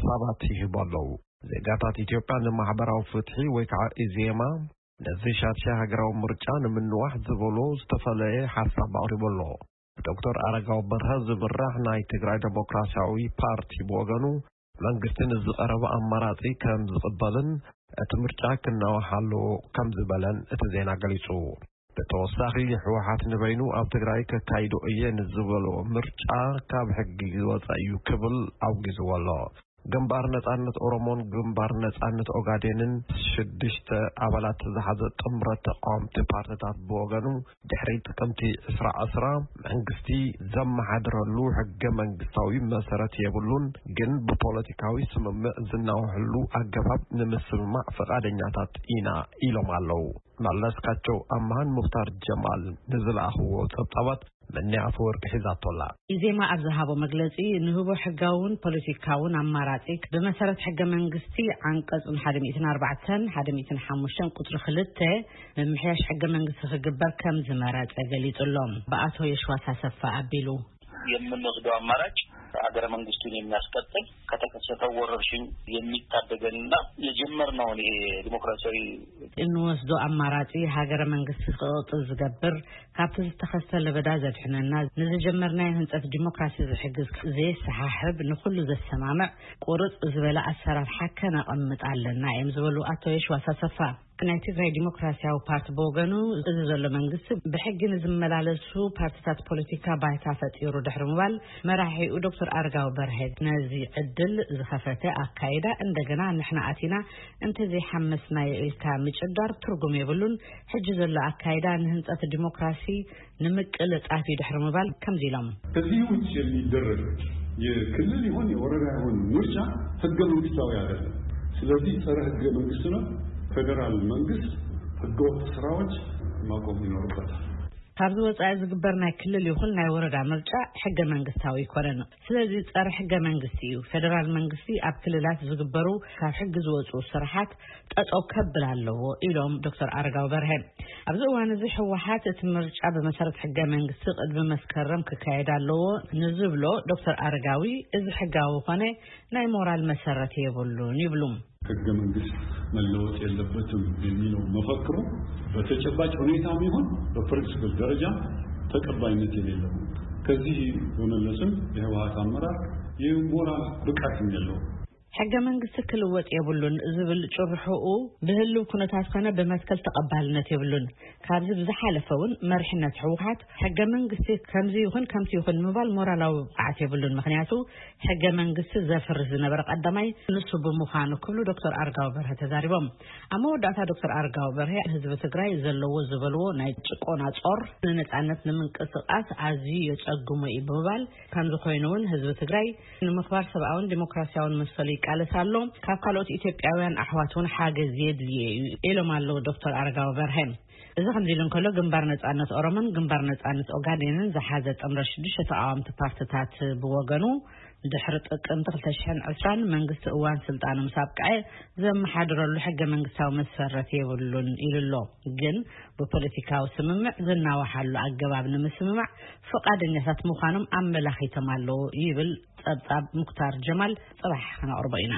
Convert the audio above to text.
ጸብጻባት ይህቡ ኣለዉ። ዜጋታት ኢትዮጵያ ንማሕበራዊ ፍትሒ ወይ ከዓ ኢዜማ ነዚ ሻድሻይ ሃገራዊ ምርጫ ንምንዋሕ ዝበሎ ዝተፈለየ ሓሳብ ኣቕሪቡ ኣሎ። ዶክተር ኣረጋዊ በርሀ ዝምራሕ ናይ ትግራይ ዴሞክራሲያዊ ፓርቲ ብወገኑ መንግስቲ ንዝቐረበ ኣማራጺ ከም ዝቕበልን እቲ ምርጫ ክናዋሕ ኣለዎ ከም ዝበለን እቲ ዜና ገሊጹ። ብተወሳኺ ህወሓት ንበይኑ ኣብ ትግራይ ከካይዶ እየ ንዝበሎ ምርጫ ካብ ሕጊ ዝወፀ እዩ ክብል ኣውጊዝዎ ኣሎ። ግንባር ነጻነት ኦሮሞን ግንባር ነጻነት ኦጋዴንን ሽዱሽተ ኣባላት ዝሓዘ ጥምረት ተቃወምቲ ፓርቲታት ብወገኑ ድሕሪ ጥቅምቲ ዕስራ ዕስራ መንግስቲ ዘመሓድረሉ ሕገ መንግስታዊ መሰረት የብሉን፣ ግን ብፖለቲካዊ ስምምዕ ዝናወሐሉ ኣገባብ ንምስምማዕ ፈቃደኛታት ኢና ኢሎም ኣለዉ። መለስካቸው ኣምሃን ሙክታር ጀማል ንዝለኣኽዎ ጸብጻባት መኒ ኣፈወርቂ ሒዛቶላ። ኢዜማ ኣብ ዝሃቦ መግለጺ ንህቦ ሕጋውን ፖለቲካውን ኣማራጺ ብመሰረት ሕገ መንግስቲ ዓንቀጽ ሓደ ሚእትን ኣርባዕተን ሓደ ሚእትን ሓሙሽተን ቁጽሪ ክልተ ምምሕያሽ ሕገ መንግስቲ ክግበር ከም ዝመረጸ ገሊጹ ኣሎ። ብኣቶ የሽዋስ ኣሰፋ ኣቢሉ። የምንወስደው አማራጭ ሀገረ መንግስቱን የሚያስቀጥል፣ ከተከሰተው ወረርሽኝ የሚታደገንና የጀመርነውን ይሄ ዲሞክራሲያዊ እንወስዶ ኣማራጺ ሃገረ መንግስቲ ክቕጽል ዝገብር፣ ካብቲ ዝተኸስተ ለበዳ ዘድሕነና፣ ንዝጀመርናዮ ህንጸት ዲሞክራሲ ዝሕግዝ፣ ዘየሰሓሕብ፣ ንኹሉ ዘሰማምዕ ቁርጽ ዝበለ ኣሰራርሓ ከነቐምጥ ኣለና እዮም ዝበሉ ኣቶ የሽዋስ ኣሰፋ። ናይ ትግራይ ዲሞክራሲያዊ ፓርቲ ብወገኑ፣ እዚ ዘሎ መንግስቲ ብሕጊ ንዝመላለሱ ፓርቲታት ፖለቲካ ባይታ ፈጢሩ ድሕሪ ምባል፣ መራሒኡ ዶክተር ኣረጋዊ በርሀ ነዚ ዕድል ዝኸፈተ ኣካይዳ፣ እንደገና ንሕና ኣቲና እንተዘይሓመስናዮ ኢልካ ምጭዳር ትርጉም የብሉን። ሕጂ ዘሎ ኣካይዳ ንህንጸት ዲሞክራሲ ንምቅልጣፍ እዩ ድሕሪ ምባል ከምዚ ኢሎም። ከዚህ ውጭ የሚደረግ የክልል ይሁን የወረዳ ይሁን ምርጫ ህገ መንግስታዊ አይደለም። ስለዚህ ጸረ ህገ መንግስት ነው። ፌዴራል መንግስት ህገወጥ ስራዎች ማቆም ይኖርበታል። ካብዚ ወጻኢ ዝግበር ናይ ክልል ይኹን ናይ ወረዳ ምርጫ ሕገ መንግስታዊ ኣይኮነን። ስለዚ ጸረ ሕገ መንግስቲ እዩ። ፌዴራል መንግስቲ ኣብ ክልላት ዝግበሩ ካብ ሕጊ ዝወጹ ስራሓት ጠጠው ከብል ኣለዎ ኢሎም ዶክተር ኣረጋዊ በርሀ። ኣብዚ እዋን እዚ ህወሓት እቲ ምርጫ ብመሰረት ሕገ መንግስቲ ቅድሚ መስከረም ክካየድ ኣለዎ ንዝብሎ ዶክተር ኣረጋዊ፣ እዚ ሕጋዊ ኮነ ናይ ሞራል መሰረት የብሉን ይብሉ። ህገ መንግስት መለወጥ የለበትም የሚለው መፈክሩ በተጨባጭ ሁኔታም ይሁን በፕሪንሲፕል ደረጃ ተቀባይነት የሌለው። ከዚህ በመለስም የህወሓት አመራር የሞራል ብቃትም የለውም። ሕገ መንግስቲ ክልወጥ የብሉን ዝብል ጭርሕኡ ብህልው ኩነታት ኮነ ብመትከል ተቐባልነት የብሉን። ካብዚ ብዝሓለፈ እውን መሪሕነት ህወሓት ሕገ መንግስቲ ከምዚ ይኹን ከምቲ ይኹን ምባል ሞራላዊ ብቕዓት የብሉን። ምኽንያቱ ሕገ መንግስቲ ዘፍርስ ዝነበረ ቀዳማይ ንሱ ብምዃኑ ክብሉ ዶክተር ኣረጋዊ በርሀ ተዛሪቦም። ኣብ መወዳእታ ዶክተር ኣረጋዊ በርሀ ህዝቢ ትግራይ ዘለዎ ዝበልዎ ናይ ጭቆና ጾር ንነጻነት ንምንቅስቃስ ኣዝዩ የጸግሞ እዩ ብምባል፣ ከምዚ ኮይኑ እውን ህዝቢ ትግራይ ንምኽባር ሰብኣውን ዲሞክራሲያውን መሰሉ ይቃለስ ኣሎ። ካብ ካልኦት ኢትዮጵያውያን ኣሕዋት እውን ሓገዝ የድልዮ እዩ ኢሎም ኣለዉ ዶክተር ኣረጋዊ በርሀ። እዚ ከምዚ ኢሉ እንከሎ፣ ግንባር ነጻነት ኦሮሞን ግንባር ነጻነት ኦጋዴንን ዝሓዘ ጥምረት ሽዱሽተ ተቃወምቲ ፓርቲታት ብወገኑ፣ ድሕሪ ጥቅምቲ ክልተ ሽሕን ዕስራን መንግስቲ እዋን ስልጣኑ ምስ ኣብቅዐ ዘመሓድረሉ ሕገ መንግስታዊ መሰረት የብሉን ኢሉ ኣሎ። ግን ብፖለቲካዊ ስምምዕ ዝናዋሓሉ ኣገባብ ንምስምማዕ ፍቓደኛታት ምዃኖም ኣመላኺቶም ኣለዉ ይብል ጸብጻብ ሙክታር ጀማል። ጽባሕ ክነቕርቦ ኢና።